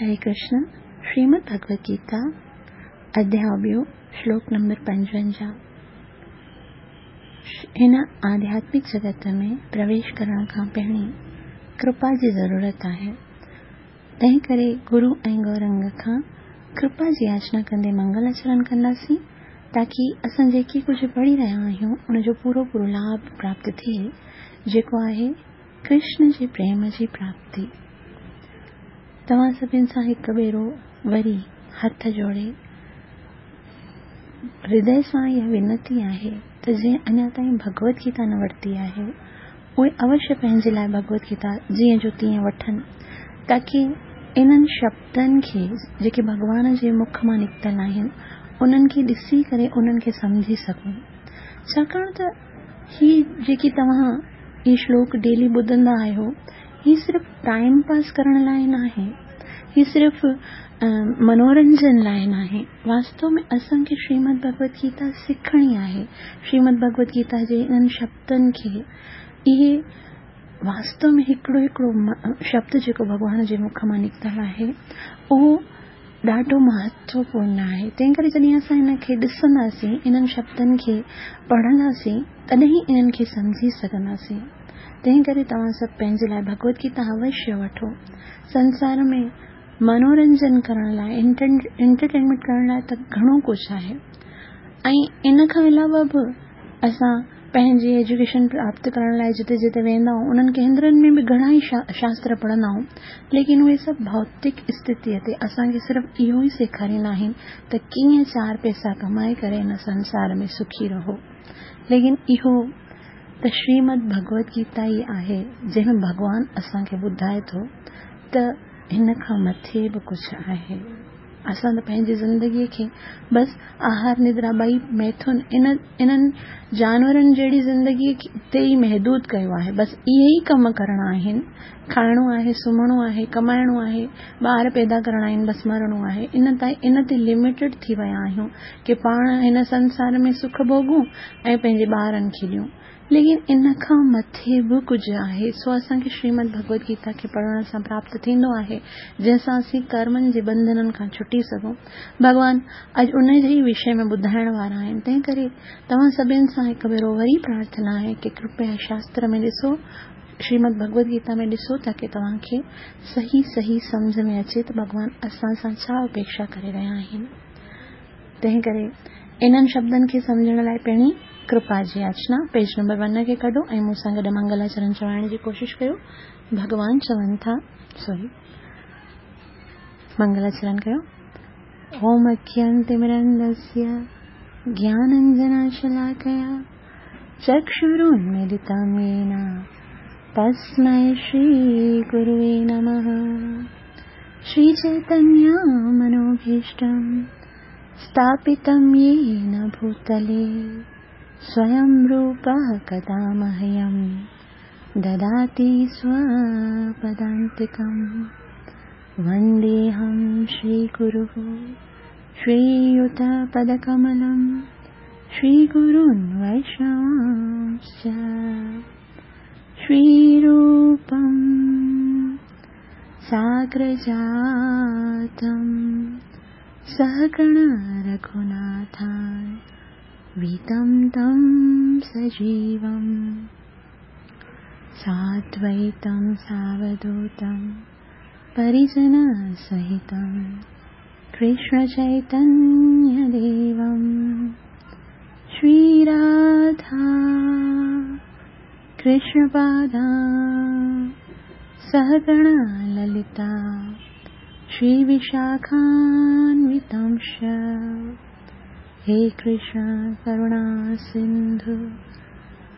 هري ڪرشن، شريمد ڀڳوت گيتا، اڌياء ٻيو، شلوڪ نمبر 55. هن آڌياتمڪ جڳت ۾ پرويش ڪرڻ کان پهرين ڪرپا جي ضرورت آهي. تنهن ڪري گرو ۽ گورنگ کان ڪرپا جي ياچنا ڪندي منگل آچرڻ ڪنداسين تاڪي اسان جيڪي ڪجهه پڙهي رهيا آهيون ان جو پورو پورو لاڀ پراپت ٿئي، جيڪو آهي ڪرشن جي پريم جي پراپتي. توهان سڀن سان هڪ ڀيرو وري هٿ جوڙي هردي سان اها وينتي آهي ته جنهن اڃا تائين ڀڳوت گيتا نه ورتي آهي اهي اوشيه پنهنجي لاء ڀڳوت گيتا جيئن جو تيئن وٺن تاڪي انهن شبدن کي جيڪي ڀڳوان جي مک مان نڪتل آهن انهن کي ڏسي ڪري انهن کي سمجهي سگهون. ڇاڪاڻ ته هي جيڪي توهان هي شلوڪ ڊيلي ٻڌندا آهيو هي صرف ٽائيم پاس ڪرڻ لاء ناهي، هي صرف منورنجن لاء ناهي. واستو ۾ اسان کي شريمد ڀڳوت گيتا سکڻي آهي. شريمد ڀڳوت گيتا جي انهن شبدن کي، اهي واستو ۾ هڪڙو هڪڙو شبد جيڪو ڀڳوان جي مک مان نڪتل آهي اهو ڏاڍو مهتوپورڻ آهي. تنهن ڪري جڏهن اسان هن کي ڏسنداسين، انهن شبدن کي پڙهنداسين، تڏهن ئي انهن کي سمجهي سگهنداسين. تنهن ڪري توهان سڀ پنهنجي لاء ڀڳوت گيتا اوشيه وٺو. سنسار ۾ منورنجن ڪرڻ لاء، انٽرٽينمينٽ ڪرڻ لاء ته گهڻو ڪجهه آهي ۽ ان کان علاوه به اسان پنهنجي ايجوڪيشن پراپت ڪرڻ لاء جتي جتي ويندا آهيون انهن ڪيندرن ۾ به گهڻا ئي شاستر پڙهندا آهيون، ليڪن اهي سڀ ڀوتڪ اسٿتيء تي اسان کي صرف اهو ئي سيکاريندا آهن ته ڪيئن چار پئسا ڪمائي ڪري هن سنسار ۾ سکي رهو. ليڪن اهو ته شريمد ڀڳوت گيتا ئي آهي جنهن ۾ ڀڳوان اسان کي ٻڌائي ٿو ته هن کان مٿي به ڪجهه آهي. اسان ته پنهنجي زندگيء کي بس آهار ندرا ٻئي ميٿن انهن جانورن جهڙي زندگيء تي ئي محدود ڪيو آهي. بس اهي ئي ڪم ڪرڻا آهن، کائڻو آهي، سمهڻو آهي، ڪمائڻو آهي، ٻار پيدا ڪرڻا آهن، بس مرڻو آهي. ان تي لميٽيڊ ٿي ويا آهيون ڪي پاڻ هن سنسار ۾ سک ڀوڳون ۽ پنهنجي ٻارن کي ڏيون. ليڪن ان کان مٿي به ڪجهه آهي، سو اسان کي شريمد ڀڳوت گيتا کي پڙهڻ سان پراپت ٿيندو آهي، جنهن سان اسين ڪرمن جي ٻنڌنن کان ڇٽي سگهون. ڀڳوان اڄ ان جي ئي وشي ۾ ٻڌائڻ وارا آهن، تنهن ڪري توهان سڀن سان هڪ ڀيرو وري پرارٿنا آهي ڪي ڪرپيا شاستر ۾ ڏسو، شريمد ڀڳوت گيتا ۾ ڏسو تاڪي توهان کي صحيح صحيح سمجهه ۾ اچي ته ڀڳوان اسان سان ڇا اپيڪشا ڪري رهيا آهن. تنهن ڪري انهن شبدن کي سمجهڻ لاء پهرين ڪرپا جي ياچنا، پيج نمبر ون کي ڪڍو ۽ مون سان گڏ منگلاچرڻ چوائڻ جي ڪوشش ڪيو. ڀڳوان چون ٿا، سوري، منگلاچرڻ ڪيو. اوم اگيانتمرندسيه گيانانجناشلاڪيا چڪشرونميلتم يين تسمئ شري گروي نمه. شري چيتنيه منوڀيشٽم اسٿاپتم يين ڀوتلي سويم روپه ڪدا مهيم دداتي سوپدانتڪم. ونديهم شري گرو شرييت پدڪملم شري گرون ويشنوانشچ شري روپم ساگرجاتم سهگڻ رघوناٿان ويتم تم سجيوم سادويتم ساوڌوتم پريجن سهتم ڪرشن چيتنيه ديوم شري راڌا ڪرشن پادا سهگڻ للتا شري وشاکانوتمش. هي ڪرشن ڪروڻا سنڌو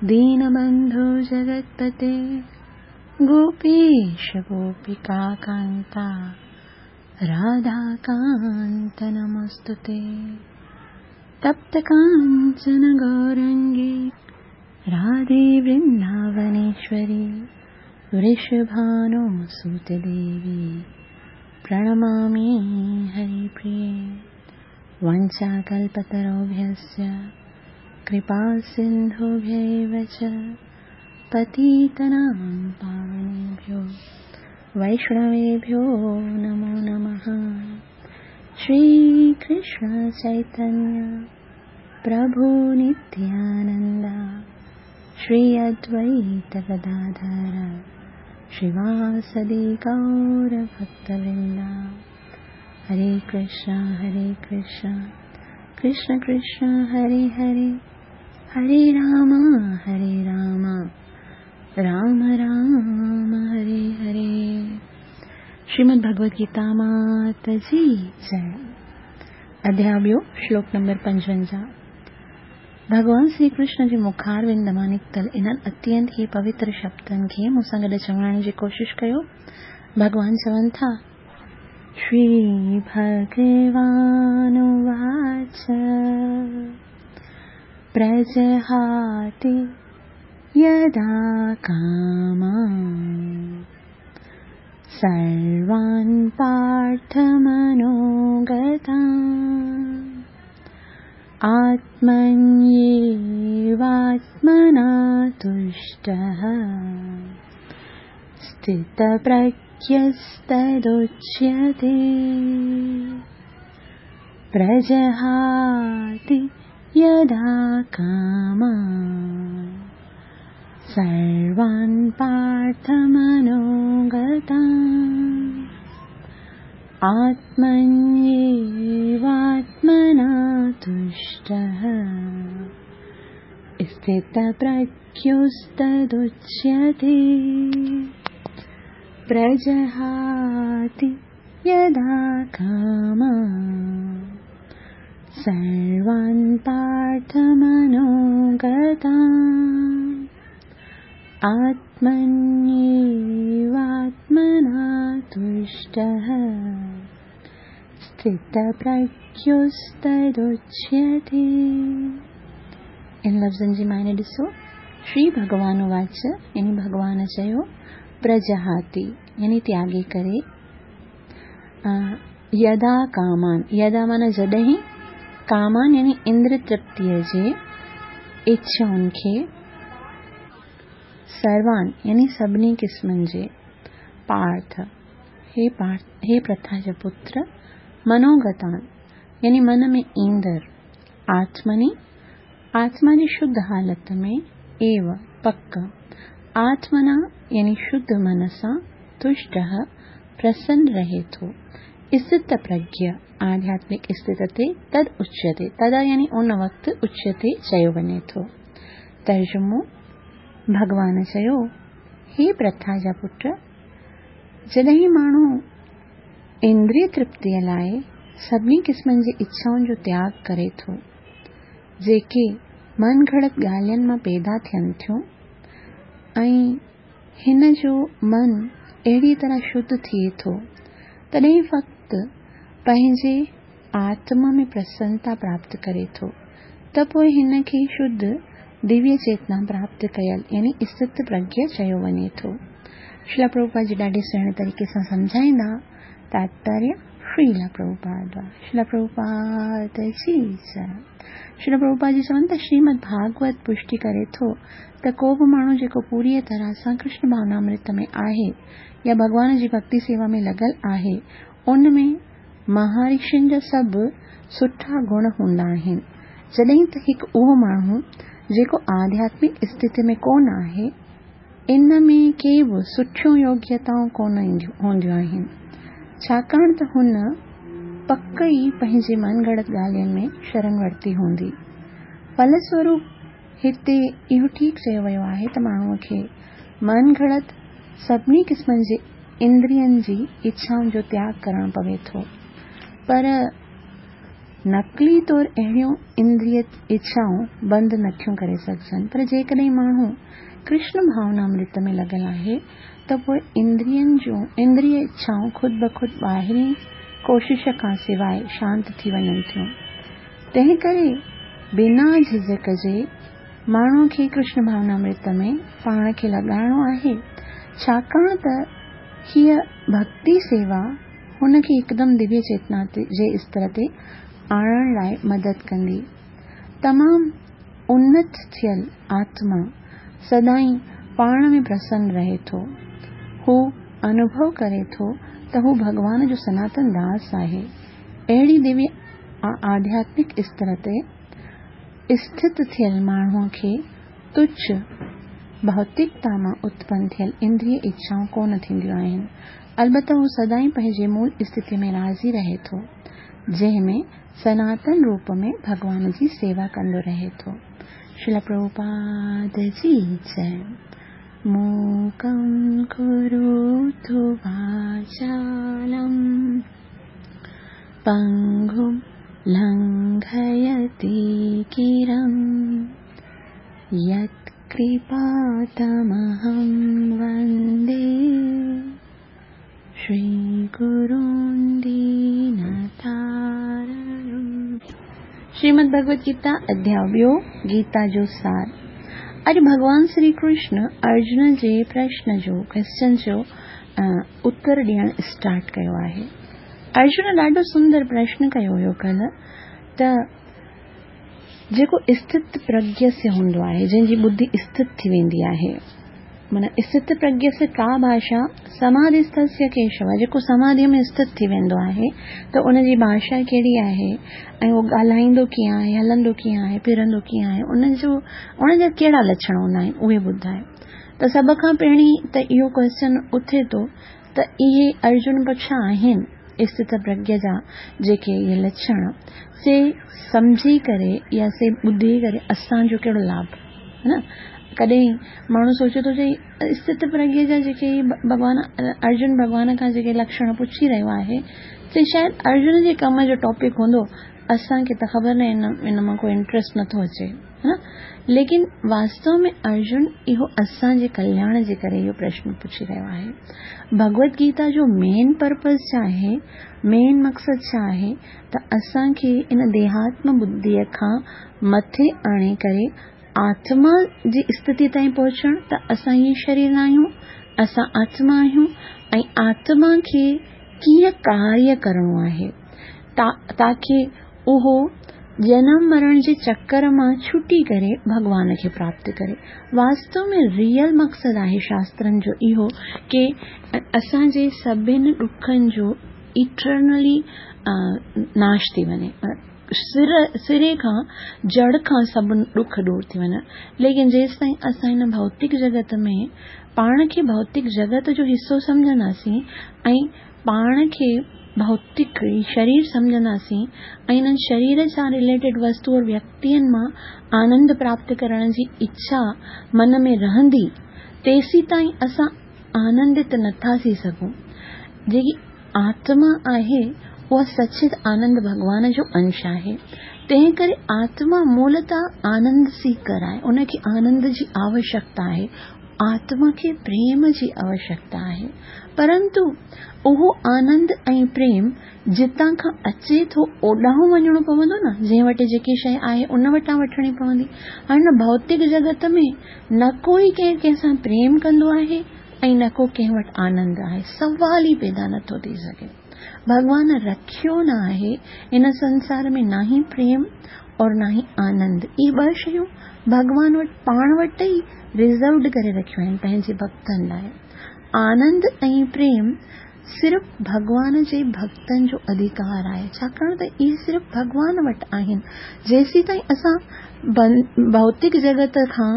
دينبنڌو جگتپتي گوپيش گوپيڪا ڪانتا راڌا ڪانت نمستي. تپت ڪانچن گورنگي راڌي ورنداونيشوري ورشڀانو سوت ديوي پرڻمامي هري پريي. وانچا ڪلپتروڀيश्च ڪرپا سنڌوڀيو چ پتيتنام پاونيڀيو वैष्णवेभ्यो नमो नमः। श्री कृष्ण चैतन्य प्रभु नित्यानंद श्री अद्वैत गदाधर श्रीवासदि गौर भक्तवृंद। हरे कृष्णा कृष्ण कृष्ण हरे हरे, हरे राम राम राम हरे हरे। श्रीमद् भगवद गीता मात जी जय। अध्याय ॿियो, श्लोक नंबर 55। भॻवान श्री कृष्ण जे मुखारविंद मां निकितल इन्हनि अत्यंत ई पवित्र शब्दनि खे मूंसां गॾु चवण जी कोशिशि कयो। भॻवान चवनि था, श्री भगवानुवाच प्रजहाति यदा कामान् सर्वान् पार्थमनोगतान् आत्मन्येवात्मना तुष्टः स्थितप्रज्ञस्तदुच्यते। प्रजहाति यदा कामान् सर्वान् पार्थमनोगतान् आत्मन्येवात्मना तुष्टः स्थितप्रज्ञस्तदुच्यते। प्रजहाति यदा कामान् सर्वान् पार्थमनोगतान् आत्मन्येवात्मना तुष्टः स्थितप्रज्ञस्तदुच्यते। इन लफ़्ज़नि जी मायने ॾिसो। श्री भॻवान उवाच यानी भॻवान चयो, प्रजहाति यानी त्यागे करे, यदा कामान, यदा माना जॾहिं, कामान यानी इंद्र तृप्तीअ जे इच्छाउनि खे, सर्वान यानी सभिनी क़िस्मनि जे, पार्थ हे पार्थ हे प्रथा जा पुत्र, मनोगतान यानी मन में ईंदड़, आत्मनि आत्मा जी शुद्ध हालत में, एव पक, आत्मना यानी शुद्ध मन सां, तुष्टः प्रसन्न रहे थो, स्थित प्रज्ञ आध्यात्मिक स्थिति ते तद उच्यते, तदा यानी उन वक़्तु उच्यते चयो वञे थो। तर्जुमो, भॻवान चयो, हे प्रथा जा पुट, जॾहिं माण्हू इंद्रिय तृप्तीअ लाइ सभिनी क़िस्मनि जी इच्छाउनि जो त्याग करे थो, जेके मन घड़त ॻाल्हियुनि मां पैदा थियनि थियूं ऐं हिन जो मन अहिड़ी तरह शुद्ध थिए थो, तॾहिं फ़क़्तु पंहिंजे आत्मा में प्रसन्नता प्राप्त करे थो, त पोइ हिन खे शुद्ध दिव्य चेतना प्राप्त कयल यानी स्थित प्रज्ञ चयो वञे थो। श्रीला प्रभुपाद जी ॾाढे सुहिणे तरीक़े सां सम्झाईंदा। तात्पर्य श्रीला प्रभुपाद, श्रीला प्रभुपाद जी जय। श्रीला प्रभुपाद जी चवनि त श्रीमद् भागवत पुष्टि करे थो त को बि माण्हू जेको पूरीअ तरह सां कृष्ण भावनामृत में आहे या भॻवान जी भक्ति सेवा में लॻल आहे, उन में महाऋषियुनि जा सभु सुठा गुण हूंदा आहिनि। जॾहिं त हिकु उहो माण्हू जेको आध्यात्मिक स्थिति में कोन आहे, इन में के बि सुठियूं योग्यताऊं कोन हूंदियूं आहिनि, छाकाणि त हुन पक ई पंहिंजे मन घड़त ॻाल्हियुनि में शरण वरिती हूंदी। फलस्वरूप हिते इहो ठीकु चयो वियो आहे त माण्हूअ खे मन घड़त सभिनी क़िस्मनि जे इंद्रियनि जी इच्छाउनि जो त्याग करणो पवे थो, पर नक़ली तौर अहिड़ियूं इंद्रिय इच्छाऊं बंदि नथियूं करे सघजनि। पर जेकॾहिं माण्हू कृष्ण भावनामृत में लॻल आहे त पोइ इंद्रिय इच्छाऊं ख़ुद ब ख़ुद ॿाहिरीं कोशिश खां सवाइ शांत थी वञनि थियूं। तंहिं करे बिना झिझक जे माण्हूअ खे कृष्ण भावनामृत में पाण खे लॻाइणो आहे, छाकाणि त हीअ भक्ति सेवा हुन खे हिकदमि दिव्य चेतना जे स्तर ते आणण लाइ मदद कंदी। तमामु उन्नत थियल आत्मा सदाईं पाण में प्रसन्न रहे थो। हू انوڀو ڪري ٿو ته هو ڀڳوان جو سناتن داس آهي، اهڙي دويه آڌياتمڪ استر تي اسٿت ٿيل ماڻهوء کي تڇ ڀوتڪتا مان اتپن ٿيل اندريه اڇائون ڪونه ٿينديون آهن. البته هو سدائين پنهنجي مول استٿيء ۾ راضي رهي ٿو، جنهن ۾ سناتن روپ ۾ ڀڳوان جي سيوا ڪندو رهي ٿو. شريلا پرڀوپاد جي جئه. موڪم ڪروتو واچالم پنگم لنگهيتي گرم يت ڪرپا تمهم وندي شري گرون دينتارڻم. شريمد ڀڳوت گيتا اڌياء ٻيو، گيتا جو سار. اڄ ڀڳوان شري ڪرشن ارجن جي پرشن جو، Question، جو اتر ڏيڻ اسٽارٽ ڪيو آهي. ارجن ڏاڍو سندر پرشن ڪيو هيو ڪلهه ته جيڪو اسٿت پرگيسيه هوندو آهي، جنهن جي ٻڌي اسٿت ٿي ويندي آهي، معنيٰ اسٿت پرگيسيه ڪا ڀاشا سماڌيسٿسيه ڪيشو، جيڪو سماڌيء ۾ اسٿت ٿي ويندو آهي ته ان جي ڀاشا ڪهڙي آهي ۽ اهو ڳالهائيندو ڪيئن آهي، هلندو ڪيئن آهي، ڦرندو ڪيئن آهي، ان جو ان جا ڪهڙا لڇڻ هوندا آهن، اهي ٻڌاء. ته سڀ کان پهرين ته اهو ڪوئسچن اٿي ٿو ته اهي ارجن پڇا آهن اسٿت پرگيا جا جيڪي اهي لڇڻ سي سمجهي ڪري يا سي ٻڌي ڪري اسان جو ڪهڙو لاڀ ها نه ڪڏهن ماڻهو سوچي ٿو چئي اسٿت پرگيا جا جيڪي ڀڳوان ارجن ڀڳوان کان جيڪي لڪشڻ پڇي رهيو آهي سي شايد ارجن جي ڪم جو ٽاپڪ هوندو اسان کي ته خبر نه ان مان ڪو انٽريسٽ نٿو اچي ها نه ليڪن واستو ۾ ارجن اهو اسان جي ڪلياڻ جي ڪري اهو پرشن پڇي رهيو آهي. ڀڳوت گيتا جو مين پرپز ڇا آهي، مين مقصد ڇا آهي ته اسان کي ان ديهاتم ٻڌيء کان مٿي آڻي ڪري آتما جي استٿي تائين پهچڻ ته اسان هي شرير ناهيون، اسان آتما آهيون ۽ آتما کي ڪيئن ڪاريه ڪرڻو آهي تاڪي اهو جنم مرڻ جي چڪر مان ڇٽي ڪري ڀڳوان کي پراپت ڪري. واستو ۾ ريئل مقصد آهي شاسترن جو اهو ڪي اسان جي سڀن ڏکن جو ايٽرنلي ناش ٿي وڃي. سري کان جڙ کان سڀ ڏک دور ٿي وڃن. ليڪن جيستائين اسان هن ڀوتڪ جڳت ۾ پاڻ کي ڀوتڪ جڳت جو حصو سمجهنداسين ۽ پاڻ کي ڀوتڪ شرير سمجهنداسين ۽ انهن شرير سان رليٽيڊ وستو اور ويڪتين مان آنند پراپت ڪرڻ جي اڇا من ۾ رهندي تيسيتائين اسان آنندت نٿا ٿي سگهون. جيڪي آتما آهي اها سچت آنند ڀڳوان جو انش آهي. تنهن ڪري آتما مولتا آنند سيڪر آهي ان کي آنند جي آوشڪتا آهي. آتما کي پريم جي آوشڪتا آهي. پرنتو اهو آنند ۽ پريم جتان کان اچي ٿو اوڏانهن وڃڻو پوندو نه، جنهن وٽ جيڪي شيء آهي ان وٽان وٺڻي پوندي. هاڻي هن ڀوتڪ جڳت ۾ نه ڪو ئي ڪنهن ڪنهن سان پريم ڪندو آهي ۽ نه ڪو ڪنهن وٽ آنند آهي. سوال ئي پيدا نه ٿو ٿي سگهي. ڀڳوان رکيو نه آهي هن سنسار ۾ نه ئي پريم اور نه ئي آنند. اهي ٻه شيون ڀڳوان وٽ پاڻ وٽ ئي رزروڊ ڪري رکيون آهن پنهنجي ڀڳتن لاء. آنند ۽ پريم صرف ڀڳوان جي ڀڳتن جو اڌيڪار آهي، ڇاڪاڻ ته اهي صرف ڀڳوان وٽ آهن. جيسيتائين اسان ڀوتڪ جڳت کان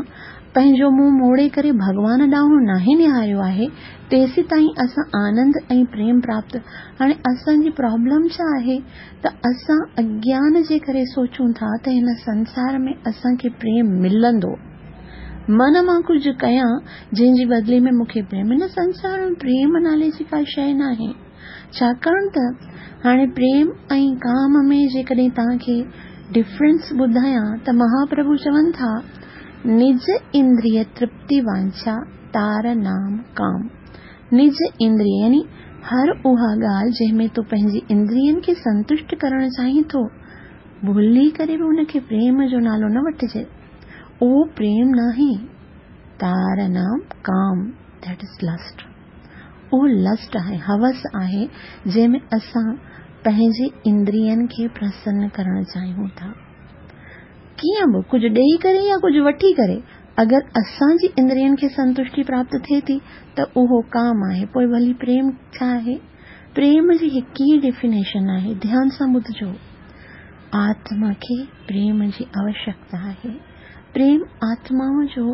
پنهنجو منهن موڙي ڪري ڀڳوان ڏانهن ناهي نهاريو آهي، تيسيتائين اسان آنند ۽ پريم پراپت. هاڻي اسان جي پرابلم ڇا آهي ته اسان اگيان جي ڪري سوچون ٿا ته هن سنسار ۾ اسان کي پريم ملندو. من مان ڪجهه ڪيان جنهن جي بدلي ۾ مون کي پريم. هن سنسار ۾ پريم نالي جي ڪا شيء ناهي. ڇاڪاڻ ته هاڻي پريم ۽ ڪام ۾ جيڪڏهن توهان کي ڊفرنس ٻڌايان ته مهاپرڀو چون ٿا، نج اندريه ترپتي وانڇا تار نام ڪام. نج اندريه يعني هر اها ڳالهه جنهن ۾ تون پنهنجي اندرين کي سنتشٽ ڪرڻ چاهين ٿو، ڀلي ڪري به ان کي پريم جو نالو نه وٺجي. اهو پريم ناهي، تار نام ڪام، That is lust. اهو لسٽ آهي، هوس آهي، جنهن ۾ اسان پنهنجي اندرين کي پرسن ڪرڻ چاهيون ٿا. ڪيئن به ڪجهه ڏيئي ڪري يا ڪجهه وٺي ڪري اگر اسان جي اندرين کي سنتشٽي پراپت ٿئي ٿي ته اهو ڪام آهي. پوءِ ڀلي پريم ڇا آهي؟ پريم جي هڪ ئي ڊيفينيشن آهي، ڌيان سان ٻڌجو، آتما کي پريم جي آوشيڪتا آهي. پريم آتما جو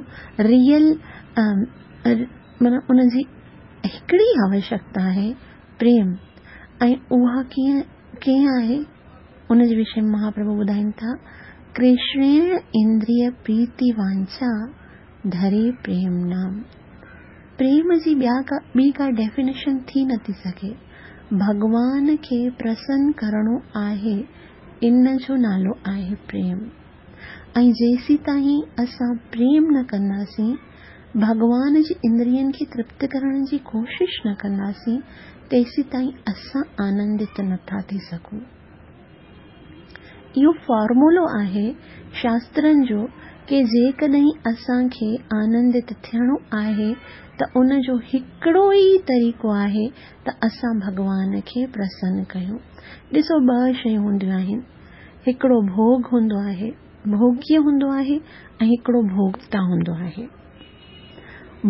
ريئل معنيٰ ان جي هڪڙي آوشيڪتا آهي پريم. ۽ اها ڪيئن آهي ان جي وشي ۾ مهاپرڀو ٻڌائين ٿا، ڪرشڻيڻ اندريه پريتي وانڇا ڌري پريم نام. پريم جي ٻي ڪا ڊيفينيشن ٿي نٿي سگهي. ڀڳوان کي پرسن ڪرڻو آهي، ان جو نالو آهي پريم. ۽ جيسيتائين اسان پريم نه ڪنداسين، ڀڳوان جي اندرين کي ترپت ڪرڻ جي ڪوشش نه ڪنداسين، تيسيتائين اسان آنندت نٿا ٿي سگهون. اهو فارمولو آهي شاسترن جو ڪي جيڪڏهن اسان کي آنندت ٿيڻو آهي ته ان جو هڪڙو ئي طريقو آهي ته اسان ڀڳوان کي پرسن ڪيون. ڏسو ٻه شيون هونديون آهن، هڪڙو ڀوڳ هوندو آهي، ڀوڳيه هوندو آهي ۽ هڪڙو ڀوڳتا هوندو آهي.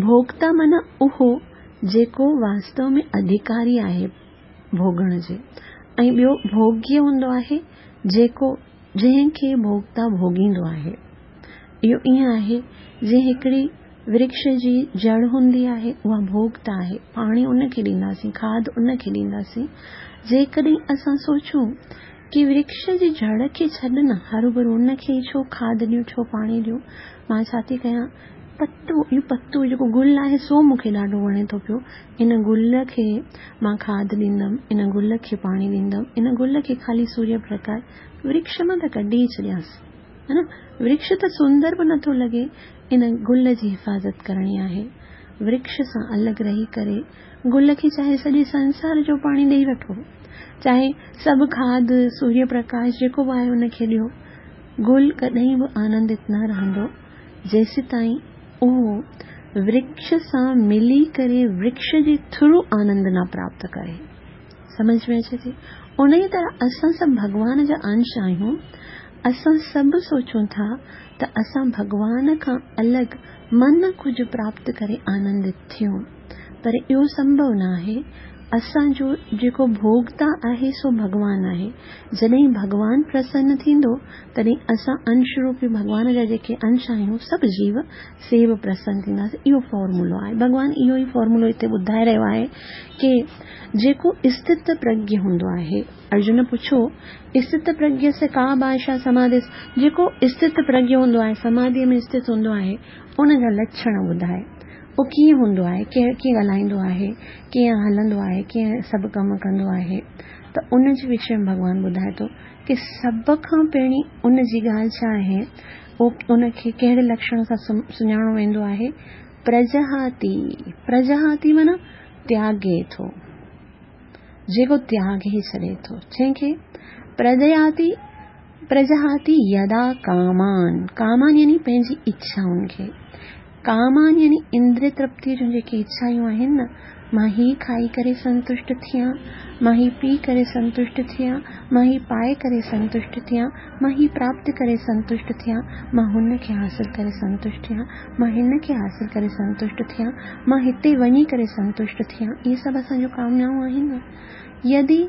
ڀوڳتا معنيٰ اهو جيڪو واستو ۾ اڌڪاري آهي ڀوڳڻ جي، ۽ ٻيو ڀوڳيه هوندو آهي جيڪو جنهن کي ڀوڳتا ڀوڳيندو آهي. اهو ائين آهي جيئن هڪڙي ورڪش جي جڙ هوندي آهي، اها ڀوڳتا آهي، پاڻي ان کي ڏينداسين، کاڌ ان کي ڏينداسين. جيڪڏهن اسان سوچون ڪي ورڪش جي جڙ کي ڇڏ نه، هروڀرو ان کي ئي ڇو کاڌ ڏيون، ڇو پاڻي ڏيون، مان ڇا ٿي ڪيان، پتو، اهو پتو جيڪو گل آهي سو مون کي ڏاڍو وڻي ٿو پيو، ان گل کي مان کاڌ ڏيندم، ان گل کي پاڻي ڏيندم، ان گل کي خالي سوريه پرڪاش، ورڪش مان ته ڪڍي ئي ڇڏيانس، ها نه، ورڪش ته سندر به نٿو لڳي، ان گل جي حفاظت ڪرڻي آهي. ورڪش سان الڳ رهي ڪري گل کي چاهي سڄي سنسار جو پاڻي ڏيئي وٺو، چاهي سڀ کاڌ، سوريه پرڪاش جيڪو به آهي ان کي ڏيو، گل ڪڏهن به آنندت نه رهندو جيسيتائين اهو ورڪش سان ملي ڪري ورڪش جي ٿرو آنند نه پراپت ڪري. سمجهه ۾ اچي ٿي؟ انهيء طرح اسان سڀ ڀڳوان جا انش آهيون. اسان سڀ سوچون ٿا ته اسان ڀڳوان کان الڳ من ڪجهه پراپت ڪري آنندت ٿيون، پر اهو سنڀو نه آهي. اسان جو جيڪو ڀوڳتا آهي سو ڀڳوان آهي. جڏهن ڀڳوان پرسن ٿيندو تڏهن اسان انش روپي ڀڳوان جا جيڪي انش آهيون سڀ جيو سي به پرسن ٿينداسين. اهو فارمولو آهي. ڀڳوان اهو ئي فارمولو هتي ٻڌائي رهيو آهي ڪي جيڪو استت پرگيه هوندو آهي. ارجن پڇيو، استت پرگيه سي ڪا ڀاشا سماڌيس؟ جيڪو استت پرگيه هوندو آهي، سماڌيء ۾ استت هوندو آهي، ان جا لڇڻ ٻڌاء. اهو ڪيئن هوندو آهي، ڪيئن ڳالهائيندو آهي، ڪيئن هلندو آهي، ڪيئن سڀ ڪم ڪندو آهي؟ ته ان جي وشي ۾ ڀڳوان ٻڌائي ٿو ڪي سڀ کان پهرين ان جي ڳالهه ڇا آهي، ان کي ڪهڙي لڪشڻ سان سڃاڻو ويندو آهي؟ پرجهاتي، پرجهاتي معنيٰ تياڳي ٿو، جيڪو تياڳي ڇڏي ٿو. جنهن کي پرجهاتي، پرجهاتي يدا ڪامان، ڪامان يعني پنهنجي اڇائن کي، ڪامان يعني اندري ترپتيء جون جيڪي اڇائون آهن نه، مان هي کائي ڪري سنتشٽ ٿيان، مان هي پي ڪري سنتشٽ ٿيان، مان هي پائي ڪري سنتشٽ ٿيان، مان هي پراپت ڪري سنتشٽ ٿيان، مان هن کي حاصل ڪري سنتشٽ ٿيان، مان هن کي حاصل ڪري سنتشٽ ٿيان، مان هتي وڃي ڪري سنتشٽ ٿيان، اهي سڀ اسان جون ڪامنائون آهن نه. يدي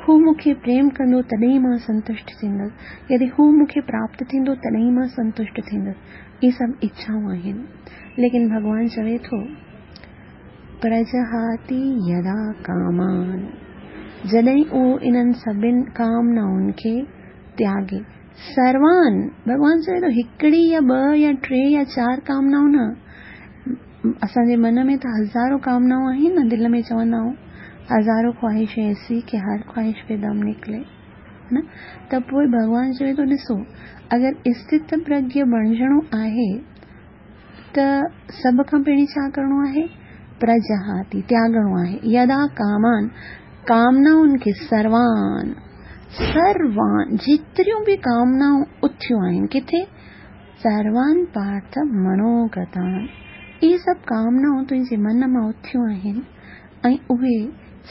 هو مون کي پريم ڪندو تڏهن مان سنتشٽ ٿيندس، يدي هو مون کي پراپت ٿيندو تڏهن مان سنتشٽ ٿيندس، اهي سڀ اڇائون آهن. ليڪن ڀڳوان چوي ٿو، پرجهاتي يدا ڪامان، جڏهن اهو انهن سڀن ڪامنائن کي تياڳي. سروان، ڀڳوان چوي ٿو هڪڙي يا ٻه يا ٽي يا چار ڪامنائون نه، اسان جي من ۾ ته هزارون ڪامنائون آهن نه، دل ۾ چوندا آهيون هزارون خواهش ايسي ڪي هر خواهش پي دم نڪلي، نه؟ ته پوء ڀڳوان چوي ٿو ڏسو اگر استت پرگيه بڻجڻو آهي ته سڀ کان پهرين ڇا ڪرڻو آهي؟ پرجهاتي، تياڳڻو آهي. يدا ڪامان، ڪامنائن کي، سروان، سروان، جيتريون به ڪامنائون اٿيون آهن، ڪٿي؟ سروان پارٿ منوگتان، اهي سڀ ڪامنائون تنهنجي من مان اٿيون آهن ۽ اهي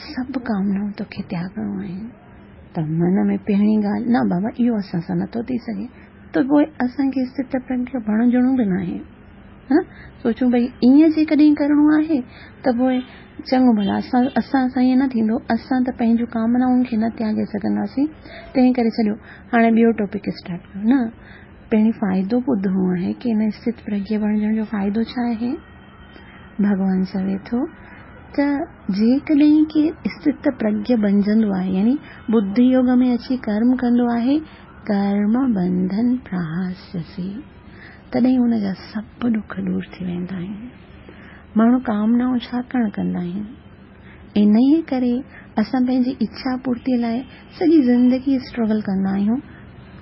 سڀ ڪامنائون توکي تياڳڻو آهن. ته من ۾ پهرين ڳالهه، نه بابا اهو اسان سان نٿو ٿي سگهي، ته پوء اسان کي استت پرگيه بڻجڻو به ناهي. ها نه سوچون ڀئي ائين جيڪڏهن ڪرڻو آهي ته پوء چڱو ڀلا اسان اسان سان ائين نه ٿيندو اسان ته پنهنجون ڪامنائن کي نه تياڳي سگهنداسين تنهن ڪري ڇڏيو هاڻي ٻيو ٽاپڪ اسٽارٽ ڪيو نه پهرين فائدو ٻڌڻو آهي ڪي ان اسٿت پرگيه بڻجڻ جو فائدو ڇا آهي ڀڳوان چوي ٿو ته جيڪڏهن ڪير اسٿت پرگيه بڻجندو آهي يعني ٻڌي يوگ ۾ اچي ڪرم ڪندو آهي ڪرم بنڌن پراهاسيسي تڏهن ان جا سڀ ڏک دور ٿي ويندا آهن. ماڻهو ڪامنائون ڇا ڪرڻ ڪندا آهن؟ انهيء ڪري اسان پنهنجي اڇا پورتيء لاء سڄي زندگي اسٽرگل ڪندا آهيون.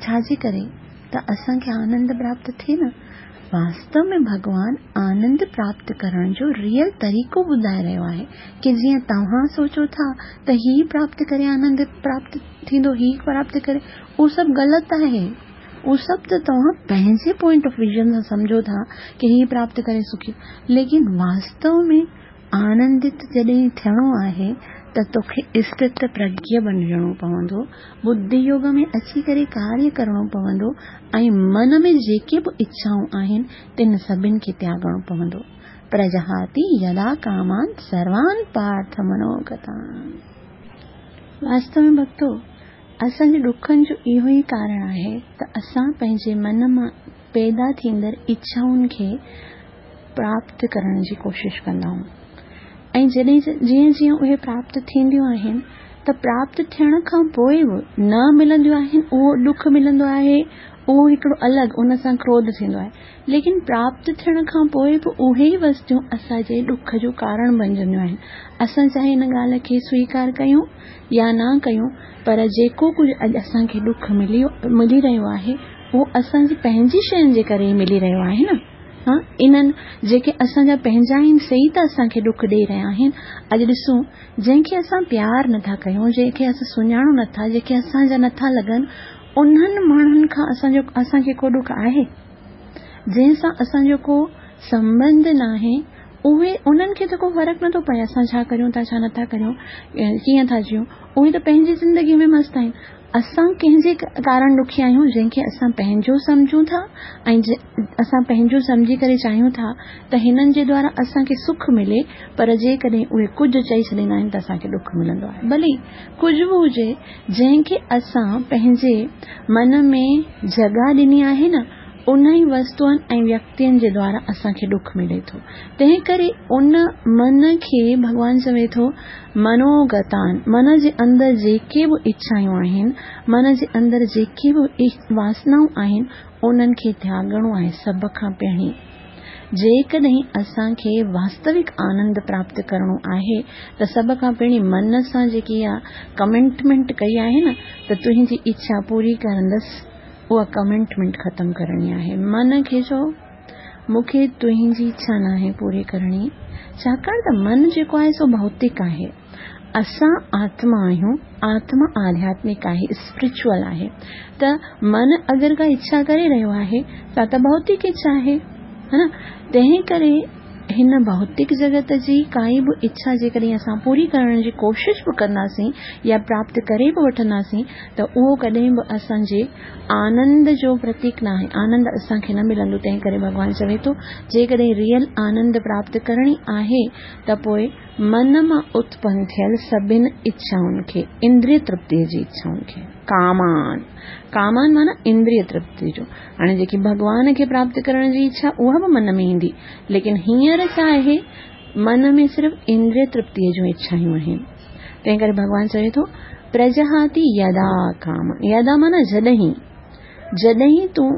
ڇا جي ڪري؟ ته اسان کي آنند پراپت ٿئي نه. واستو ۾ ڀڳوان آنند پراپت ڪرڻ جو ريئل طريقو ٻڌائي رهيو آهي ڪي جيئن توهان سوچو ٿا ته هي پراپت ڪري آنند پراپت ٿيندو هي پراپت ڪري اهو سڀ غلط آهي. اهو سڀ ته توهان پنهنجي پوائنٽ آف ويزن سان سمجهو ٿا ڪي هي پراپت ڪري سکي ليڪن واستو ۾ آنندت جڏهن ٿيڻو آهي ته توکي اسٿت پرگيه بڻجڻو پوندو، ٻڌي يوگ ۾ اچي ڪري ڪاريه ڪرڻو پوندو ۽ من ۾ جيڪي به اڇائون آهن تن سڀن کي تياڳڻو پوندو. پرجهاتي يدا ڪامان سروان پارٿ منوگتان. واستو ۾ ڀڳتو! اسان جي ڏکن جو اهو ئي ڪارڻ آهي ته اسان پنهنجي من مان پيدا ٿيندڙ اڇائن کي پراپت ڪرڻ جي ڪوشش ڪندا آهيون ۽ جڏهن جيئن جيئن اهي پراپت ٿينديون آهن ته پراپت ٿيڻ کان پوء به نه ملنديون آهن اهو ڏک ملندو آهي اهو هڪڙو الڳ ان سان ڪروڌ ٿيندو آهي ليڪن پراپت ٿيڻ کان پوء به اهي ئي وستيون اسان جي ڏک جو ڪارڻ بنجنديون آهن اسان چاهي ان ڳالهه کي سويڪار ڪيون يا نه ڪيون پر جيڪو ڪجهه اڄ اسان کي ڏک ملي ملي رهيو آهي اهو اسان جي پنهنجي شين جي ڪري ئي ملي رهيو آهي نه ها انهن جيڪي اسان جا پنهنجا آهن سي ئي ته اسان کي ڏک ڏئي رهيا آهن اڄ ڏسون جنهن کي اسان پيار نٿا ڪيون جنهن کي اسان سڃاڻون نٿا جيڪي اسان جا نٿا لڳن انهن ماڻهن کان اسان جو اسان کي ڪو ڏک آهي جنهن سان اسان جو ڪو سنٻنڌ ناهي اهي انهن کي ته ڪو فرق نٿو پئي اسان ڇا ڪريون ٿا ڇا نٿا ڪريون ڪيئن ٿا جيون اهي ته پنهنجي زندگي ۾ مست آهن اسان ڪنهن جي ڪارڻ ڏکي آهيون جنهن کي اسان پنهنجو سمجهون ٿا ۽ اسان پنهنجو سمجهي ڪري چاهيون ٿا ته هنن جي دوارا اسان کي سک ملي پر جيڪڏهن اهي ڪجهه چئي ڇڏيندا آهن ته اسان کي ڏک ملندو آهي ڀلي ڪجهه به هجي جنهن کي اسان پنهنجي من ۾ جڳهه ڏني آهي نه انهن وستوئن ۽ ويڪتين جي دوارا اسان کي ڏک ملي ٿو. تنهن ڪري ان من کي ڀڳوان چوي ٿو منوگتان، من جي اندر جيڪي به اڇايون آهن، من جي اندر جيڪي به واسنائون آهن، انهن کي تياڳڻو آهي سڀ کان پهرين. جيڪڏهن اسان کي واستوڪ آنند پراپت ڪرڻو آهي ته سڀ کان پهرين من سان جيڪي اها ڪمٽمينٽ ڪئي آهي نه ته تنهنجي اڇا پوري ڪرندس، اها ڪمٽمينٽ ختم ڪرڻي آهي. من کي چئو، مون کي تنهنجي اڇا ناهي پوري ڪرڻي، ڇاڪاڻ ته من جيڪو آهي سو ڀوتڪ آهي. اسان آتما آهيون، آتما آڌياتمڪ آهي، اسپرچوئل آهي. ته من اگر ڪا اڇا ڪري رهيو آهي سا ته ڀوتڪ اڇا آهي، ها نه؟ تنهن ڪري هن ڀوتڪ جڳت جي ڪائي به اڇا جيڪڏهن اسان پوري ڪرڻ جي ڪوشش به ڪنداسين يا پراپت ڪري به وٺنداسين ته اهو ڪڏهن به اسان جي آنند جو پرتيڪ ناهي، آنند اسان کي نه ملندو، تنهن ڪري ڀڳوان چوي ٿو جيڪڏهن ريئل آنند پراپت ڪرڻي آهي ته پوء من مان اتپن ٿيل سڀن اڇائن کي، اندريه ترپتيء جي اڇائن کي، ڪامان، ڪامان معنيٰ اندريه ترپتي جو، هاڻي جيڪي ڀڳوان کي پراپت ڪرڻ جي اڇا اها به من ۾ ايندي، ليڪن هينئر ڇا آهي، من ۾ صرف اندريه ترپتيء جون اڇايون آهن. تنهن ڪري ڀڳوان چوي ٿو، پرجهاتي يدا ڪامان، يدا معنيٰ جڏهن، جڏهن تون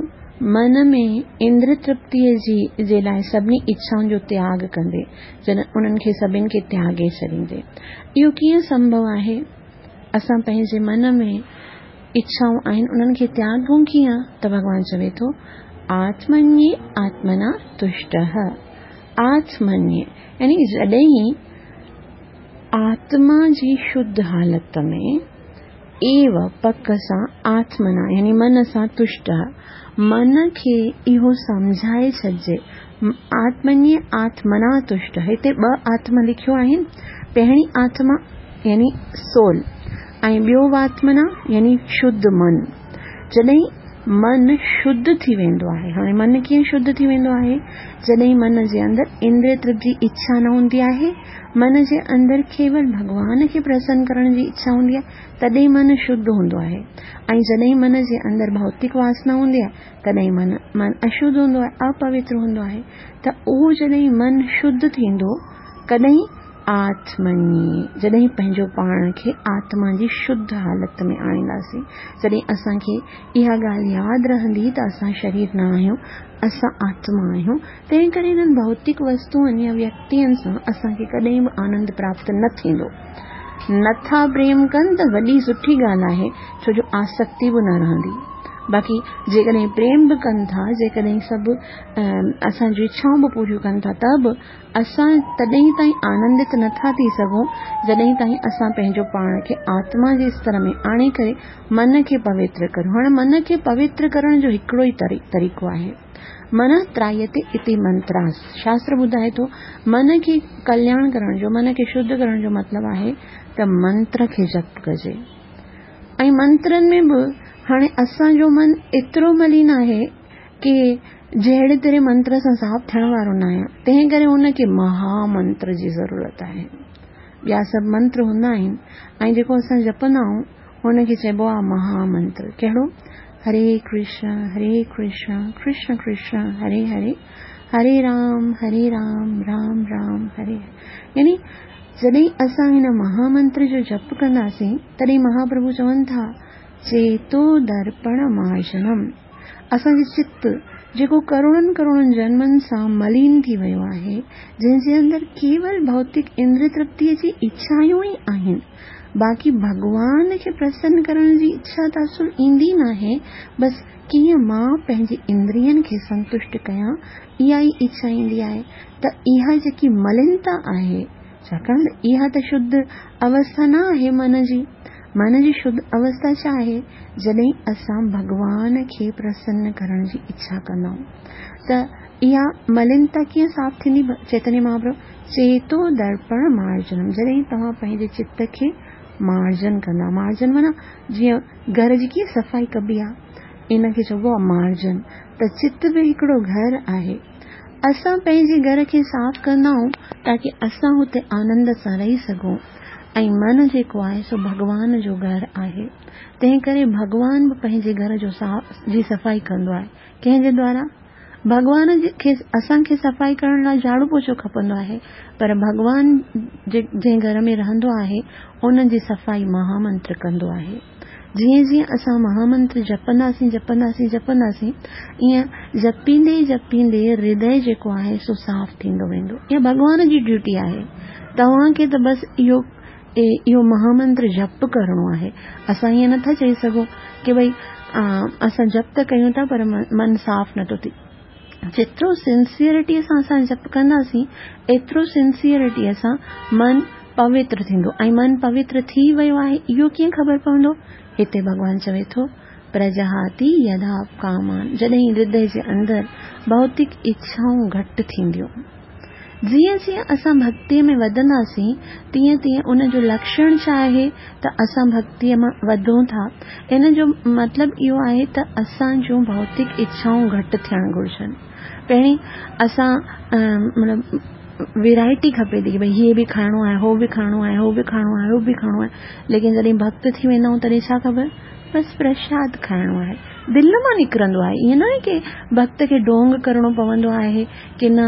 من ۾ اندريه ترپتيء جي جي لاء سڀني اڇائن جو تياڳ ڪندين، جڏهن انهن کي سڀن کي تياڳي ڇڏيندين. اهو ڪيئن سنڀو آهي؟ اسان پنهنجي من ۾ اڇائون آهن انهن کي تياڳون ڪيئن؟ ته ڀڳوان چوي ٿو، آتمني آتمنا تشٽه، آتمني يعني جڏهن آتما جي شڌ حالت ۾ ايو پڪ سان آتمنا يعني من سان تشٽه من کي اهو سمجهائي ڇڏجي آتمني آتمنا تشٽه هتي ٻه آتما لکيو آهن پهرين آتما يعني سول ۽ ٻيو واتمنا يعني شڌ من. جڏهن من شڌ ٿي ويندو آهي. هاڻي من ڪيئن شڌ ٿي ويندو آهي؟ جڏهن من جي اندر اندريه ترپت جي اڇا نه هوندي آهي، من جي اندر ڪيول ڀڳوان کي پرسن ڪرڻ جي اڇا هوندي آهي، تڏهن من شڌ هوندو آهي. ۽ جڏهن من جي اندر ڀوتڪ واسنا هوندي آهي، تڏهن من اشڌ هوندو آهي، اپوتر هوندو آهي. ته اهو جڏهن من شڌ ٿيندو، ڪڏهن؟ آتمني، جڏهن پنهنجو پاڻ کي آتما جي شڌ حالت ۾ آڻينداسين، جڏهن اسان کي اها ڳالهه ياد رهندي ته اسان شرير نه آهيون، اسان آتما آهيون، تنهن ڪري انهن ڀوتڪ وستوئن يا ويڪتين سان اسان کي ڪڏهن به آنند پراپت نه ٿيندو. نٿا پريم ڪن ته وڏي سٺي ڳالهه آهي، ڇو جو آسڪتي به نه رهندي. باقي جيڪڏهن پريم به ڪن ٿا، جيڪڏهن سڀ اسان جون اڇائون به پوريون ڪن ٿا ته به اسان تڏهن تائين آنندت نٿا ٿي سگهون جڏهن تائين اسان پنهنجو پاڻ کي آتما جي استر ۾ آڻي ڪري من کي پوتر ڪريون. هاڻ من کي پوتر ڪرڻ جو هڪڙو ئي طريقو آهي. من ترائيتي اتي منتراس. شاستر ٻڌائي ٿو من کي ڪلياڻ ڪرڻ جو، من کي شڌ ڪرڻ جو مطلب آهي ته منتر کي جپ ڪجي. ۽ منترن ۾ به هاڻي اسان جو من ايترو ملين آهي ڪي جهڙي تهڙي منتر سان صاف ٿيڻ وارو نه آهيان، تنهن ڪري ان کي مها منتر جي ضرورت آهي. ٻيا سڀ منتر هوندا آهن ۽ جيڪو اسان جپندا آهيون ان کي چئبو آهي مها منتر. ڪهڙو؟ هري ڪرشن هري ڪرشن ڪرشن ڪرشن هري هري هري رام هري رام رام رام هري هري. يعني جڏهن اسان هن مها منتر جو جپ ڪنداسين تڏهن مهاپرڀو چون ٿا چيتو درپڻ مارجنم. اسان جي چت، جيڪو ڪروڙن ڪروڙن جنمن سان ملين ٿي ويو آهي، جنهن جي اندر ڪيول ڀوتڪ اندريه ترپتيء جي اڇائون ئي آهن، باقي ڀڳوان کي پرسن ڪرڻ جي اڇا ته اصل ايندي ناهي، بس ڪيئن مان پنهنجي اندرين کي سنتشٽ ڪيان، اها ئي اڇا ايندي آهي ته اها جيڪي ملينتا آهي، ڇاڪاڻ ته اها ته شڌ اوسٿا نه آهي من جي. من جي شڌ اوسٿا ڇا آهي؟ جڏهن اسان ڀڳوان کي پرسن ڪرڻ جي اڇا ڪندا آهيون ته اها ملينتا ڪيئن صاف ٿيندي؟ چيتنيه مهاپرڀو چيتو درپڻ مارجنم، جڏهن توهان پنهنجي چت کي مارجن ڪندا، مارجن معنيٰ جيئن گهر جي ڪيئن صفائي ڪبي آهي، ان کي چئبو آهي مارجن. ته چت به هڪڙو گهر آهي. اسان پنهنجي گهر کي صاف ڪندا آهيون تاڪه اسان هتي آنند سان رهي سگهون ۽ من جيڪو آهي سو ڀڳوان جو گهر آهي، تنهن ڪري ڀڳوان به پنهنجي گهر جو جي صفائي ڪندو آهي. ڪنهن جي دوارا؟ ڀڳوان کي اسان کي صفائي ڪرڻ لاء جهاڙو پوچو کپندو آهي، پر ڀڳوان جنهن گهر ۾ رهندو آهي ان جي صفائي مهامنتر ڪندو آهي. جيئن جيئن اسان مهامنتر جپنداسين جپنداسين جپنداسين، ائين جپيندي جپيندي هردي جيڪو آهي سو صاف ٿيندو ويندو. اها ڀڳوان جي ڊيوٽي آهي. توهان کي ته بس اهو مهامنتر جپ ڪرڻو آهي. اسان ائين نٿا چئي سگهون ڪي ڀئي اسان جپ ته ڪيون ٿا پر من صاف نٿو ٿئي. جيترو سنسيئرٽيء سان اسان جپ ڪنداسين، ايترو سنسيئرٽيء سان من پوتر ٿيندو ۽ من پوتر ٿي ويو آهي اهو ڪيئن خبر پوندو؟ هتي ڀڳوان چوي ٿو، پرجهاتي يدا ڪامان، جڏهن هردي جي اندر ڀوتڪ اڇائون گهٽ ٿينديون. جيئن جيئن اسان ڀڳتيء ۾ وڌنداسين، تيئن تيئن ان جو لڪشڻ ڇا آهي ته اسان ڀڳتيء مان وڌون ٿا. ان جو مطلب اهو آهي ته اسان جون ڀوتڪ اڇائون گهٽ ٿيڻ گهرجن. پهرين اسان مطلب ويرائٽي کپي ٿي ڪي ڀئي هي به کائڻو آهي، هو به کائڻو آهي، هو به کائڻو آهي، هو به کائڻو آهي. ليڪن جڏهن ڀڳت ٿي ويندا آهيون تڏهن ڇا خبر بس پرشاد کائڻو آهي. دل مان نڪرندو آهي. ائين ناهي ڪي ڀڳت کي ڍونگ ڪرڻو پوندو آهي ڪي نه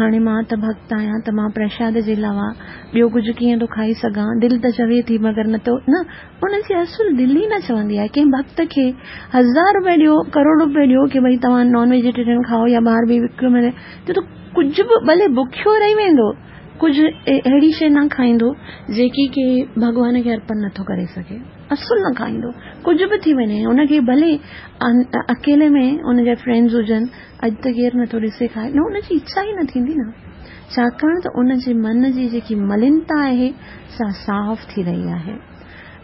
هاڻي مان ته ڀڳت آهيان ته مان پرشاد جي علاوه ٻيو ڪجهه ڪيئن ٿو کائي سگهان. دل ته چوي ٿي مگر نه ٿو نه ان جي اصل دل ئي نه چوندي آهي. ڪنهن ڀڳت کي هزار روپيه ڏيو ڪروڙ روپيه ڏيو ڪي ڀئي توهان نان ويجيٽيرين کائو يا ٻاهر به وڪيو ملي ته ڪجهه به ڀلي بکيو رهي ويندو ڪجهه اهڙي شيء نه کائيندو جيڪي ڪي ڀڳوان کي ارپڻ نٿو ڪري سگهي. اصل نه کائيندو ڪجهه به ٿي وڃي ان کي ڀلي اڪيلي ۾ ان جا فرينڊز هجن اڄ ته ڪير نٿو ڏسي کائي نه ان جي اڇا ئي نه ٿيندي نه ڇاڪاڻ ته ان جي من جي جيڪي ملينتا آهي سا صاف ٿي رهي آهي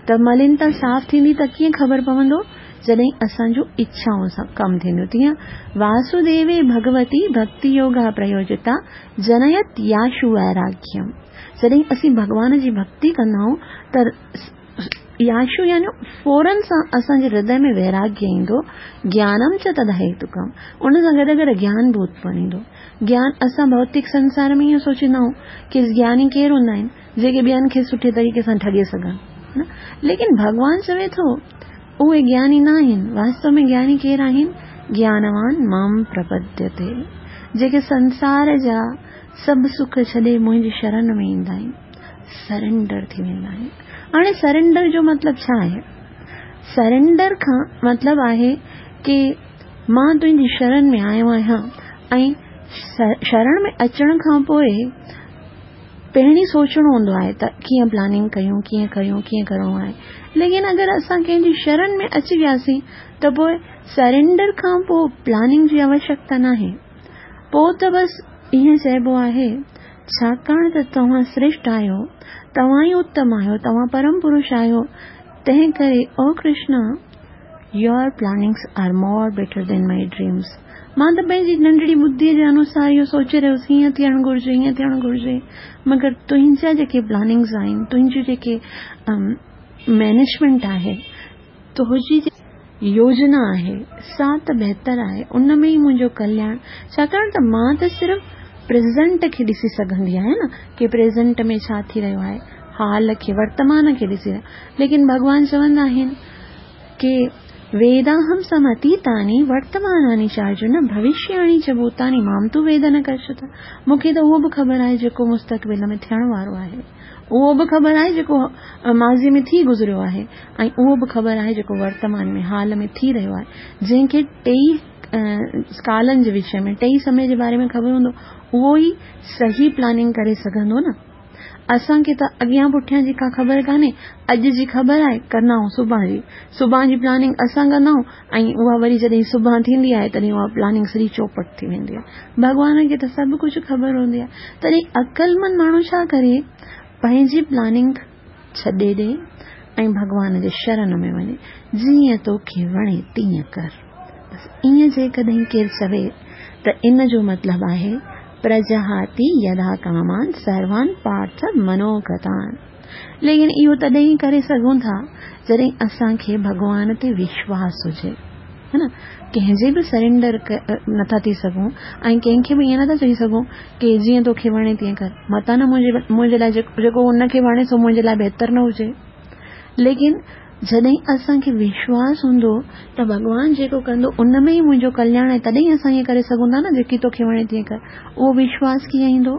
ته ملينتا صاف ٿيندي ته ڪيئن خبر پوندو جڏهن اسان جون اڇائون ڪم ٿينديون تيئن واسوديوي ڀڳوتي ڀڳتي يوگا پريوجتا جنيت ياشو ويراگيم جڏهن اسين ڀڳوان جي ڀڳتي ڪندا آهيون ته ياشو يعني فورن سان اسان جي هردي ۾ ويراگيه ايندو، گيانم چ تدهيتڪم، ان سان گڏ گڏ گيان به اتپن ايندو. گيان اسان ڀوتڪ سنسار ۾ ائين سوچيندا آهيون ڪي گياني ڪير هوندا آهن؟ جيڪي ٻين کي سٺي طريقي سان ٺڳي سگهن، ليڪن ڀڳوان چوي ٿو اهي گياني نه آهن. واستو ۾ گياني ڪير آهن؟ گيانوان مام پرپديتي، جيڪي سنسار جا سڀ سک ڇڏي منهنجي شرن ۾ ايندا آهن، سرينڊر ٿي ويندا آهن. هاڻي سرينڊر جو مطلب ڇا آهي؟ سرينڊر کان مطلب آهي ڪي مان تنهنجي شرن ۾ آيو آهيان ۽ شرڻ ۾ اچڻ کان پوء پهرين سوچڻو هوندو آهي ته ڪيئن پلاننگ ڪيون، ڪيئن ڪريون، ڪيئن ڪرڻو آهي. ليڪن اگر اسان ڪنهن جي شرن ۾ اچي وياسين ته پوء سرينڊر کان پوء پلاننگ جي آوشيڪتا ناهي. پوء ته بس ائين چئبو آهي، ڇاڪاڻ ته توهان سريشٽ آهيو، توهان ئي اتم آهيو، توهان پرم پرش آهيو، تنهن ڪري او Krishna, Your plannings are more better than my dreams. مان ته پنهنجي ننڍڙي ٻڌيء جي انوسار اهو سوچي رهيو هوس هيئن ٿيڻ گهرجي، هيئن ٿيڻ گهرجي، مگر تنهنجا جيڪي پلاننگز آهن، تنهنجون جيڪي مئنيجمينٽ آهي، تنهنجي جيڪي يوجنا آهي، سا ته بهتر آهي، ان ۾ ئي منهنجو ڪلياڻ، ڇاڪاڻ ته مان ته صرف پريزنٽ کي ڏسي سگهندي آهيان نه ڪي پريزنٽ ۾ ڇا ٿي رهيو آهي، حال کي، ورتمان کي ڏسي، ليڪن ڀڳوان چوندا آهن ڪي ويداهم سمتيتاني ورتماناني چارجن ڀوشياڻي چ ڀوتاني مام تو ويد نه ڪشت. مون کي ته اهو به خبر آهي جيڪو مستقبل ۾ ٿيڻ وارو آهي، اهو به خبر آهي جيڪو ماضي ۾ ٿي گذريو آهي ۽ اهو به خبر آهي جيڪو ورتمان ۾ حال ۾ ٿي رهيو آهي. جنهن کي ٽئي ڪالن جي وشي ۾ ٽئي سمي جي باري ۾ خبر هوندو اهو ئي صحيح پلاننگ ڪري سگهندو نه. اسان کي ته اڳيان پٺيان جي ڪا خبر ڪانهي، اڄ جي خبر آهي، ڪندا آهيون سڀان جي. سڀان جي پلاننگ اسان ڪندا آهيون ۽ اها وري جڏهن سڀان ٿيندي آهي تڏهن اها پلاننگ سڄي چوپٽ ٿي ويندي آهي. ڀڳوان کي ته سڀ ڪجهه خبر هوندي آهي. تڏهن عقلمند ماڻهو ڇا ڪري؟ پنهنجي پلاننگ ڇڏي ڏي ۽ ڀڳوان جي شرن ۾ وڃي، جيئن توکي وڻي تيئن ڪر. بس ائين جيڪڏهن ڪير چوي ته ان جو مطلب آهي پرجهاتي يدا ڪامان سروان پارٿ منوگتان. ليڪن اهو تڏهن ئي ڪري سگهون ٿا جڏهن اسان کي ڀڳوان تي وشواس هجي ها نه. ڪنهن جي به سرينڊر نٿا ٿي سگهون ۽ ڪنهن کي به ائين نٿا چئي سگهون ڪي جيئن توکي وڻي تيئن ڪر. متان نه منهنجي لاء جيڪو هن کي وڻي سو منهنجي لاء بهتر نه هجي. ليڪن جڏهن اسان کي وشواس هوندو ته ڀڳوان جيڪو ڪندو ان ۾ ئي منهنجو ڪلياڻ آهي تڏهن ئي اسان ائين ڪري سگهون ٿا نه جيڪي توکي وڻي تيئن ڪر. اهو وشواس ڪيئن ايندو؟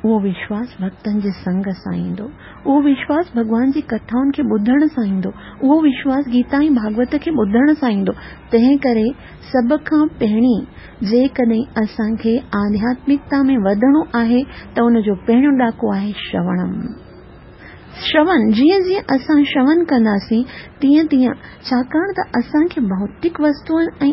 اهو وشواس ڀڳتن جي سنگ سان ايندو. اهو وشواس ڀڳوان جي ڪٿائن کي ٻڌڻ سان ايندو. اهو وشواس گيتا ۽ ڀاڳوت کي ٻڌڻ سان ايندو. تنهن ڪري سڀ کان پهرين جيڪڏهن اسان کي آڌياتمڪتا ۾ وڌڻو آهي ته ان جو پهريون ڏاڪو آهي شروڻم. شرون، جيئن جيئن اسان شرون ڪنداسين، تيئن تيئن، ڇاڪاڻ ته اسان کي ڀوتڪ وستوئن ۽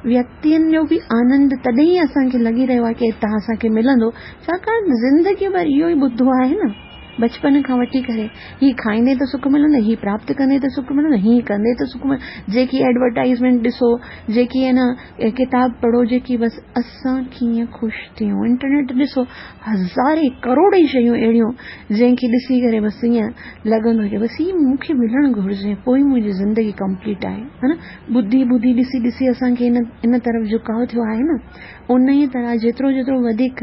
ويڪتين جو به آنند تڏهن ئي اسان کي لڳي رهيو آهي ڪي هتان اسان کي ملندو، ڇاڪاڻ ته زندگي ڀر اهو ئي ٻڌو آهي نه، بچپن کان وٺي ڪري، هي کائيندي ته سک ملندو، هي پراپت ڪندي ته سک ملندو، هي ڪندي ته سک ملندو، جيڪي ايڊورٽائيزمينٽ ڏسو، جيڪي نه ڪتاب پڙهو، جيڪي بس اسان ڪيئن خوش ٿيون، انٽرنيٽ ڏسو، هزارين ڪروڙين شيون اهڙيون جنهن کي ڏسي ڪري بس ائين لڳندو هجي بس هي مون کي ملڻ گهرجي پوء ئي منهنجي زندگي ڪمپليٽ آهي ها نه ٻڌي ٻڌي ڏسي ڏسي اسان کي ان ان طرف جهڪاء ٿيو آهي نه انهيء طرح جيترو جيترو وڌيڪ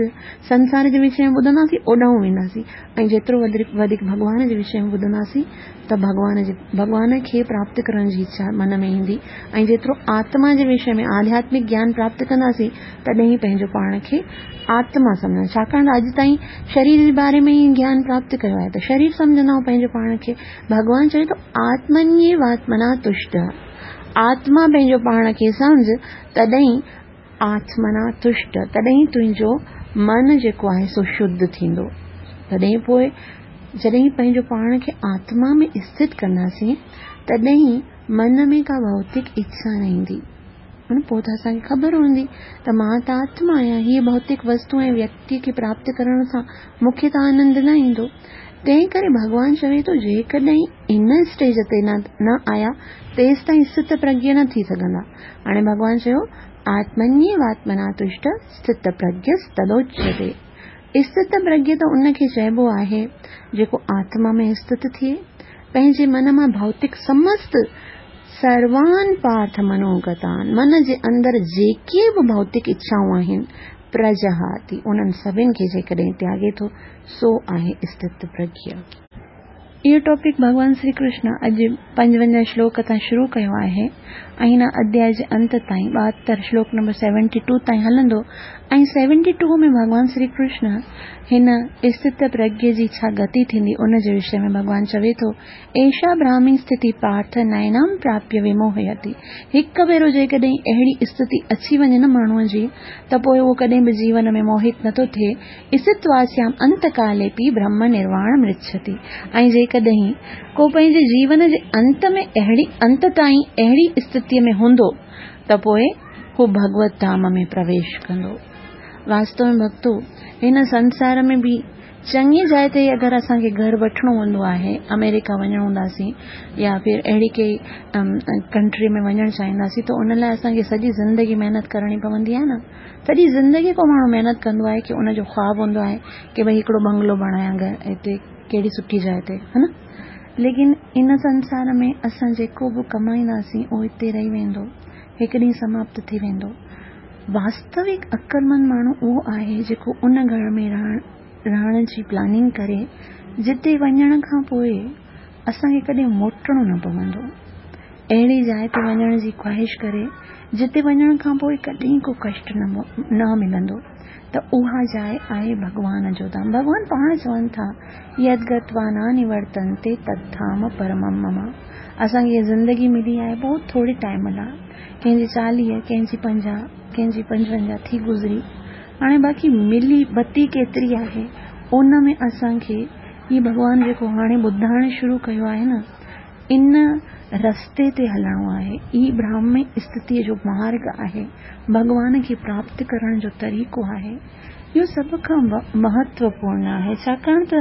سنسار جي وشي ۾ ٻڌنداسين اوڏانهن وينداسين ۽ جيترو وڌيڪ ڀڳوان جي وشي ۾ ٻڌنداسين ته ڀڳوان جي ڀڳوان کي پراپت ڪرڻ جي اڇا من ۾ ايندي ۽ جيترو آتما جي وشي ۾ آڌياتمڪ گيان پراپت ڪنداسين تڏهن ئي پنهنجو پاڻ کي آتما سمجهندا ڇاڪاڻ ته اڄ تائين شرير جي باري ۾ ئي گيان پراپت ڪيو آهي ته شرير سمجهندا آهيون پنهنجو پاڻ کي ڀڳوان چوي ٿو آتمنيواتمنا تشٽ آتما پنهنجو پاڻ کي سمجهه تڏهن آتمنا تشٽ تڏهن تنهنجو من جيڪو آهي سو شڌ ٿيندو. تڏهن پوء جڏهن پنهنجو پاڻ کي آتما ۾ اسٿت ڪنداسين تڏهن من ۾ ڪا ڀوتڪ اڇا نه ايندي. پوء ته اسان کي خبر هوندي ته مان ته آتما آهيان، هيء ڀوتڪ وستو ۽ ويڪتيء کي پراپت ڪرڻ سان مون کي ته آنند نه ايندو. تنهن ڪري ڀڳوان چوي ٿو جيڪڏهن ان اسٽيج تي نه آيا تيستائين اسٿت پرگيه نه ٿي سگهندا. هاڻي ڀڳوان چيو، آتمنيواتمنا تشٽ اسٿت پرگيستدوچيتي. اسٿت پرگيه ته ان کي چئبو آهي جيڪو آتما ۾ اسٿت ٿئي. پنهنجي من مان ڀوتڪ سمست سروان پارٿ منوگتان، من جي اندر جيڪي به ڀوتڪ اڇائون آهن، پرجهاتي، انهن سڀن کي جيڪڏهن تياڳي ٿو، سو آهي استت پرگيه. اهو ٽاپڪ ڀڳوان شري ڪرشن اڄ 55 شلوڪ تان شروع ڪيو آهي ۽ هن اڌياء جي انت تائين 72 شلوڪ نمبر سيونٽي ٽو تائين هلندو ۽ سيونٽي ٽو ۾ ڀڳوان شري ڪرشن هن استت پرگيه جي ڇا گتي ٿيندي ان جي وشي ۾ ڀڳوان چوي ٿو ايشا براهمي اسٿتي پارٿ نينام پراپيه وموهيتي. هڪ ڀيرو جيڪڏهن اهڙي اسٿتي اچي وڃي نه ماڻهوء جي ته پوء اهو ڪڏهن به جيون ۾ موهت نٿو ٿئي. اسٿتواسيام انتڪاليپي برهم نرواڻم رڇتي. ۽ جيڪڏهن ڪو پنهنجي جيون جي انت ۾ اهڙي انت تائين اهڙي اسٿتيء ۾ هوندو ته پوء هو ڀڳوت ڌام ۾ پرويش ڪندو. واستو ۾ ڀڳتو هن سنسار ۾ به چڱي جاء تي اگر اسان کي گهر وٺڻو هوندو آهي، آمريڪا وڃڻو هونداسين يا ڦر اهڙي ڪئي ڪنٽري ۾ وڃڻ چاهينداسين ته ان لاء اسان کي سڄي زندگي محنت ڪرڻي پوندي آهي نه. سڄي زندگي ڪو ماڻهو محنت ڪندو آهي ڪي ان جو خواب هوندو آهي ڪي ڀئي هڪڙو بنگلو بڻايان گهر هتي ڪهڙي سٺي جاء تي ها نه. ليڪن ان سنسار ۾ اسان جيڪو به ڪمائينداسين اهو هتي رهي ويندو، هڪ ڏينهن سماپت ٿي ويندو. واستوڪ عقلمند ماڻهو اهو آهي جيڪو ان گهر ۾ رهڻ جي پلاننگ ڪري جتي وڃڻ کان پوء اسان کي ڪڏهن موٽڻو نه پوندو. اهڙي جاء تي وڃڻ جي خواهش ڪري جتي وڃڻ کان پوء ڪڏهن ڪو ڪشٽ نه ملندو ته اها جاء آهي ڀڳوان جو ڌام. ڀڳوان پاڻ چون ٿا يد گتوا نه نورتنتي تد ڌام پرمم مم. اسان کي هيء زندگي ملي آهي بهت ٿوري ٽائيم لاء. ڪنهن جي 40، ڪنهن جي 50، ڪنهن جي 55 ٿي گذري. هاڻي باقي ملي بتي ڪيتري آهي، ان ۾ اسان کي هي ڀڳوان جيڪو هاڻي ٻڌائڻ شروع ڪيو آهي نه، ان رستي تي هلڻو آهي. هي براهمي استٿيء جو مارڳ آهي، ڀڳوان کي پراپت ڪرڻ جو طريقو آهي. اهو سڀ کان مهتوپورڻ آهي، ڇاڪاڻ ته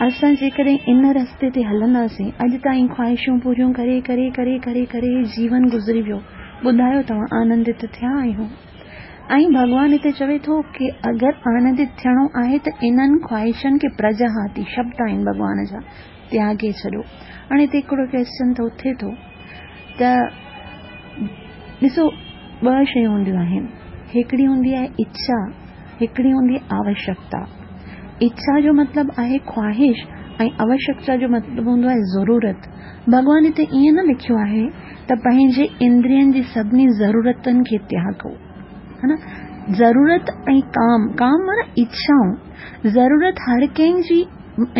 اسان جيڪڏهن ان رستي تي هلنداسين، اڄ تائين خواهشون پوريون ڪري ڪري ڪري ڪري ڪري جيون گذري ويو، ٻڌايو توهان آنندت ٿيا آهيو؟ ۽ ڀڳوان هتي چوي ٿو ڪي اگر آنندت ٿيڻو آهي ته انهن خواهشن کي پرجهاتي، شبد آهن ڀڳوان جا، تياڳي ڇڏيو. هاڻي هتي هڪڙو ڪويسچن ته اٿي ٿو ته ڏسو ٻه شيون هونديون آهن، هڪڙي هوندي آهي اڇا، هڪڙي هوندي آهي آوشڪتا. اڇا جو مطلب آهي خواهش ۽ آوشڪتا جو مطلب هوندو آهي ضرورت. ڀڳوان هتي ائين نه لکيو آهي ته پنهنجي اندرين جي سڀني ضرورتن کي تياڳو. ها نه؟ ضرورت ۽ ڪام، ڪام معنيٰ اڇائون، ضرورت هر ڪنهن جي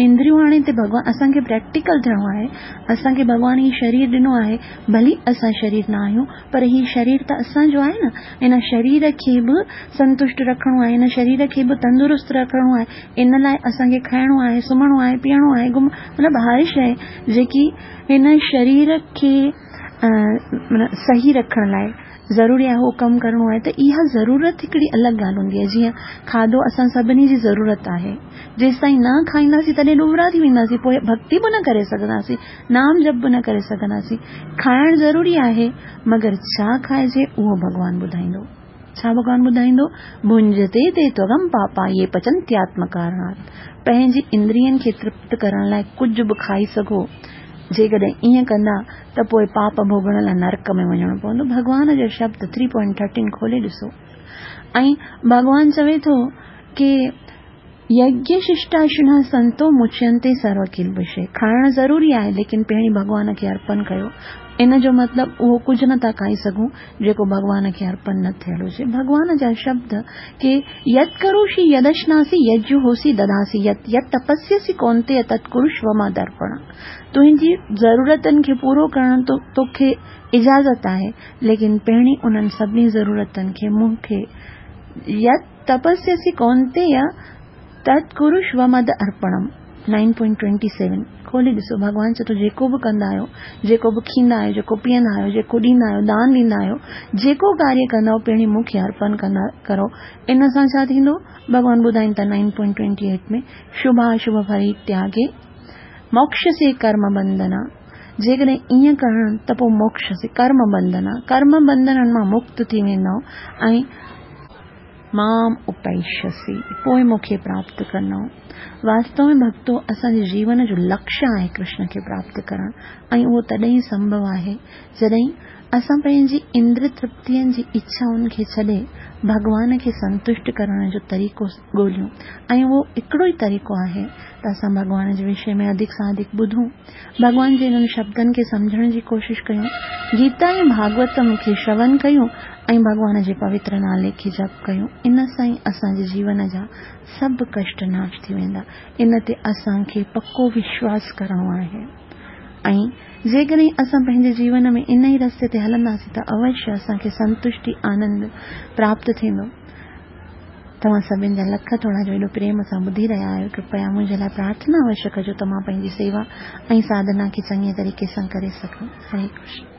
اندريون هاڻي هتي ڀڳوان اسان کي پريڪٽيڪل ٿيڻو آهي، اسان کي ڀڳوان هي شرير ڏنو آهي، ڀلي اسان شرير نه آهيون پر هي شرير ته اسان جو آهي نه، هن شرير کي به سنتشٽ رکڻو آهي، هن شرير کي به تندرست رکڻو آهي، ان لاء اسان کي کائڻو آهي، سمهڻو آهي، پيئڻو آهي، گهم مطلب هر شيء جيڪي هن شرير کي صحيح رکڻ لاء ضروري آهي اهو ڪم ڪرڻو آهي ته اها ضرورت هڪڙي الڳ ڳالهه هوندي آهي جيئن کاڌو اسان سڀني جي ضرورت آهي جيستائين نه کائينداسين تڏهن ڏٻرا ٿي وينداسين پوء ڀڳتي به نه ڪري سگهنداسين نام جپ به نه ڪري سگهنداسين کائڻ ضروري آهي مگر ڇا کائجي اهو ڀڳوان ٻڌائيندو ڇا ڀڳوان ٻڌائيندو ڀنجتي تي تغم پاپا يي پچنتياتم ڪارڻات پنهنجي اندرين کي ترپت ڪرڻ لاء ڪجهه به کائي سگهو جيڪڏهن ائين ڪندا ته پوء پاپ ڀوڳڻ لاء نرڪ ۾ وڃڻو پوندو. ڀڳوان جا شبد ٿري پوائنٽ ٿرٽين کولي ڏسو. ۽ ڀڳوان چوي ٿو ڪي يگيه ششٽاشنه سنتو مچينتي سرو ڪلبشي کائڻ ضروري آهي ليڪن پهرين ڀڳوان کي ارپن ڪيو. ان جو مطلب اهو ڪجهه نه ٿا کائي سگهون جيڪو ڀڳوان کي ارپن نه ٿيل هجي. ڀڳوان جا شبد ڪي يت ڪروشي يدشناسي يجهوسي دداسي يت يت تپسيسي ڪونتيه تت ڪرشو مد ارپڻم. تنهنجي ضرورتن کي پورو ڪرڻ توکي اجازت آهي، ليڪن پهرين انهن سڀني ضرورتن کي مون کي يت تپسيسي ڪونتيه تت ڪرشو مد ارپڻم. نائن پوائنٽ ٽوئنٽي سيون کولي ڏسو ڀڳوان چئي ٿو جيڪو به ڪندا آهيو، جيڪو به کيندا آهيو، جيڪو پيئندا آهيو، جيڪو ڏيندا آهيو، دان ڏيندا آهيو، جيڪو ڪاريه ڪندا آهيو پهرين مون کي ارپڻ ڪندا ڪرو. ان سان ڇا ٿيندو؟ ڀڳوان ٻڌائين ٿا nine point twenty eight ۾ Shobha اشڀ ڦل تياڳي موڪشسي ڪرم بنڌنا جيڪڏهن ائين ڪرڻ ته پوء موڪشسي ڪرم بنڌنا ڪرم بنڌنن مان مڪت ٿي ويندؤ ۽. مام اپيشيسي، پوء مون کي پراپت ڪندؤ. واستو ۾ ڀڳتو اسان جي جيون جو لڪشيه آهي ڪرشن کي پراپت ڪرڻ ۽ اهو تڏهن ئي سنڀو آهي جڏهن اسان پنهنجي اندر ترپتين جي اڇائن کي ڇڏي ڀڳوان کي سنتشٽ ڪرڻ جو طريقو ڳوليون ۽ اهو هڪڙو ئي طريقو آهي ته اسان ڀڳوان جي وشي ۾ اڌڪ سان اڌڪ ٻڌون، ڀڳوان جي انهن شبدن کي سمجهڻ جي ڪوشش ڪيون، گيتا ۽ ڀاڳوتم کي شرون ڪيون ۽ ڀڳوان جي پوتر نالي کي جپ ڪيون، ان سان ئي اسان جي جيون جا سڀ ڪشٽ ناش ٿي ويندا. ان تي اسان کي پڪو وشواس ڪرڻو آهي ۽ جيڪڏهن اسان پنهنجي جيون ۾ ان ئي رستي تي هلنداسين ته اوشيه اسان کي سنتشٽي آنند پراپت ٿيندو. توهان سڀن جا لک ٿورا جو ايڏو پريم سان ٻڌي رهيا آهيو. ڪرپيا منهنجي لاء پرارٿنا اوشيه ڪجو ته مان پنهنجي سيوا ۽ ساڌنا کي چڱي طريقي سان ڪري سگهان. هري ڪرشن.